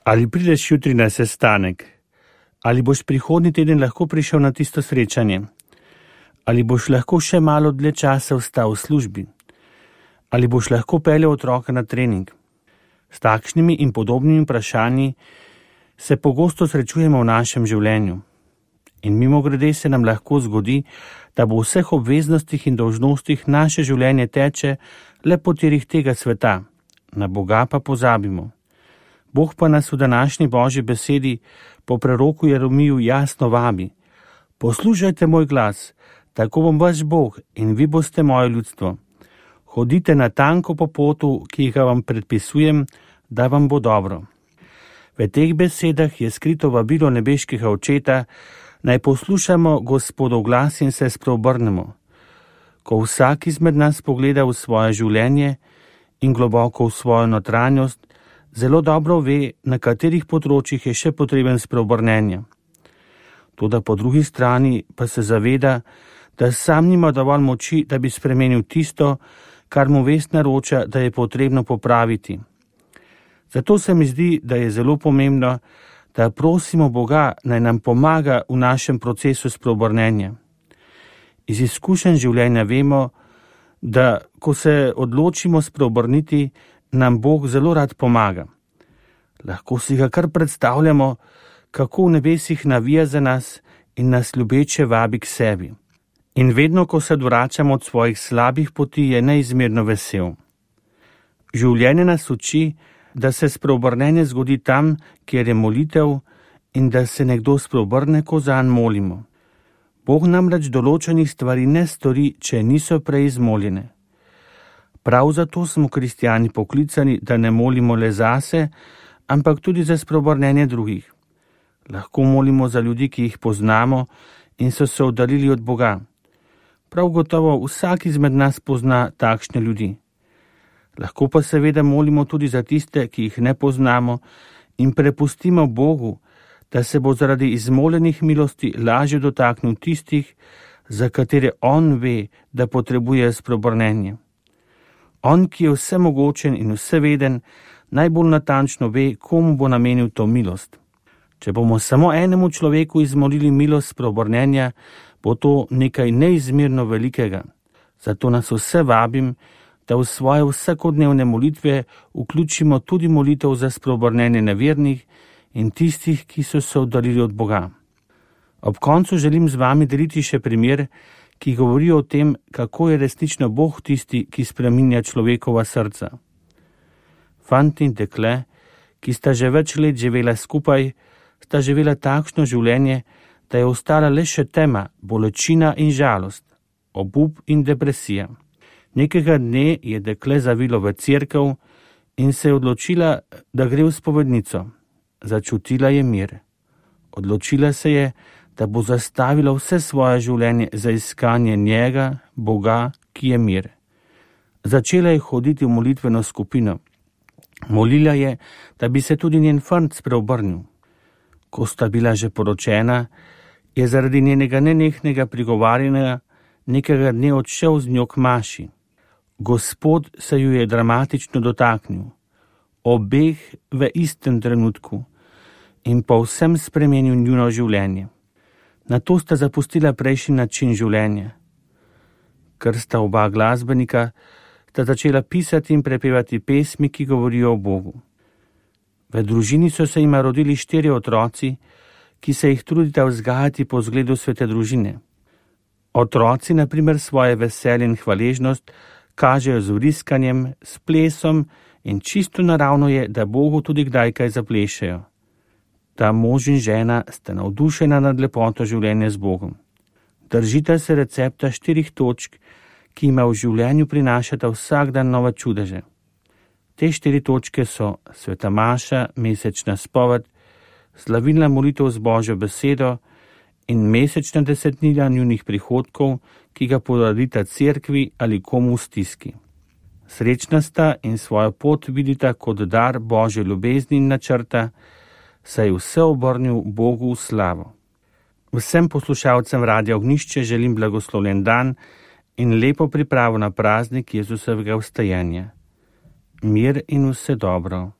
Ali prideš jutri na sestanek? Ali boš prihodnji teden lahko prišel na tisto srečanje? Ali boš lahko še malo dlje časa ostal v službi? Ali boš lahko peljal otroka na trening? S takšnimi in podobnimi vprašanji se pogosto srečujemo v našem življenju. In mimogrede se nam lahko zgodi, da bo v vseh obveznostih in dolžnostih naše življenje teče le po tirih tega sveta, na Boga pa pozabimo. Bog pa nas v današnji Božji besedi po preroku Jeremiju jasno vabi: poslušajte moj glas, tako bom vaš Bog in vi boste moje ljudstvo. Hodite na tanko po potu, ki ga vam predpisujem, da vam bo dobro. V teh besedah je skrito vabilo nebeškega Očeta, naj poslušamo Gospodov glas in se spreobrnemo. Ko vsak izmed nas pogleda v svoje življenje in globoko v svojo notranjost, zelo dobro ve, na katerih področjih je še potreben spreobrnenja. Toda po drugi strani pa se zaveda, da sam nima dovolj moči, da bi spremenil tisto, kar mu vest naroča, da je potrebno popraviti. Zato se mi zdi, da je zelo pomembno, da prosimo Boga, naj nam pomaga v našem procesu spreobrnenja. Iz izkušenj življenja vemo, da ko se odločimo spreobrniti, nam Bog zelo rad pomaga. Lahko si ga kar predstavljamo, kako v nebesih navija za nas in nas ljubeče vabi k sebi. In vedno, ko se odvračamo od svojih slabih poti, je neizmerno vesel. Življenje nas uči, da se spreobrnenje zgodi tam, kjer je molitev, in da se nekdo spreobrne, ko zanj molimo. Bog namreč določenih stvari ne stori, če niso prej izmoljene. Prav zato smo kristjani poklicani, da ne molimo le zase, ampak tudi za spreobrnenje drugih. Lahko molimo za ljudi, ki jih poznamo in so se oddaljili od Boga. Prav gotovo vsak izmed nas pozna takšne ljudi. Lahko pa seveda molimo tudi za tiste, ki jih ne poznamo, in prepustimo Bogu, da se bo zaradi izmoljenih milosti lažje dotaknil tistih, za katere On ve, da potrebuje spreobrnenje. On, ki je vsemogočen in vseveden, najbolj natančno ve, komu bo namenil to milost. Če bomo samo enemu človeku izmolili milost spreobrnenja, bo to nekaj neizmerno velikega. Zato nas vse vabim, da v svoje vsakodnevne molitve vključimo tudi molitev za spreobrnenje nevernih in tistih, ki so se oddaljili od Boga. Ob koncu želim z vami deliti še primer, ki govori o tem, kako je resnično Bog tisti, ki spreminja človekova srca. Fant in dekle, ki sta že več let živela skupaj, sta živela takšno življenje, da je ostala le še tema, bolečina in žalost, obup in depresija. Nekega dne je dekle zavilo v cerkev in se je odločila, da gre v spovednico. Začutila je mir. Odločila se je, da bo zastavila vse svoje življenje za iskanje njega, Boga, ki je mir. Začela je hoditi v molitveno skupino. Molila je, da bi se tudi njen fant spreobrnil. Ko sta bila že poročena, je zaradi njenega nenehnega prigovarjanja nekega dne odšel z njo k maši. Gospod se ju je dramatično dotaknil, obeh v istem trenutku, in povsem spremenil njuno življenje. Nato sta zapustila prejšnji način življenja. Ker sta oba glasbenika, sta začela pisati in prepevati pesmi, ki govorijo o Bogu. V družini so se jima rodili 4 otroci, ki se jih trudita vzgajati po zgledu svete družine. Otroci, na primer, svoje veselje in hvaležnost kažejo z vriskanjem, s plesom in čisto naravno je, da Bogu tudi kdaj kaj zaplešejo. Ta mož in žena sta navdušena nad lepoto življenja z Bogom. Držita se recepta 4 točk, ki jima v življenju prinašata vsak dan nove čudeže. Te 4 točke so sveta maša, mesečna spoved, slavilna molitev z Božjo besedo in mesečna desetnina njunih prihodkov, ki ga podarita cerkvi ali komu v stiski. Srečna sta in svojo pot vidita kot dar Božje ljubezni in načrta, saj je vse obrnil Bogu v slavo. Vsem poslušalcem Radia Ognjišče želim blagoslovljen dan in lepo pripravo na praznik Jezusovega vstajenja. Mir in vse dobro.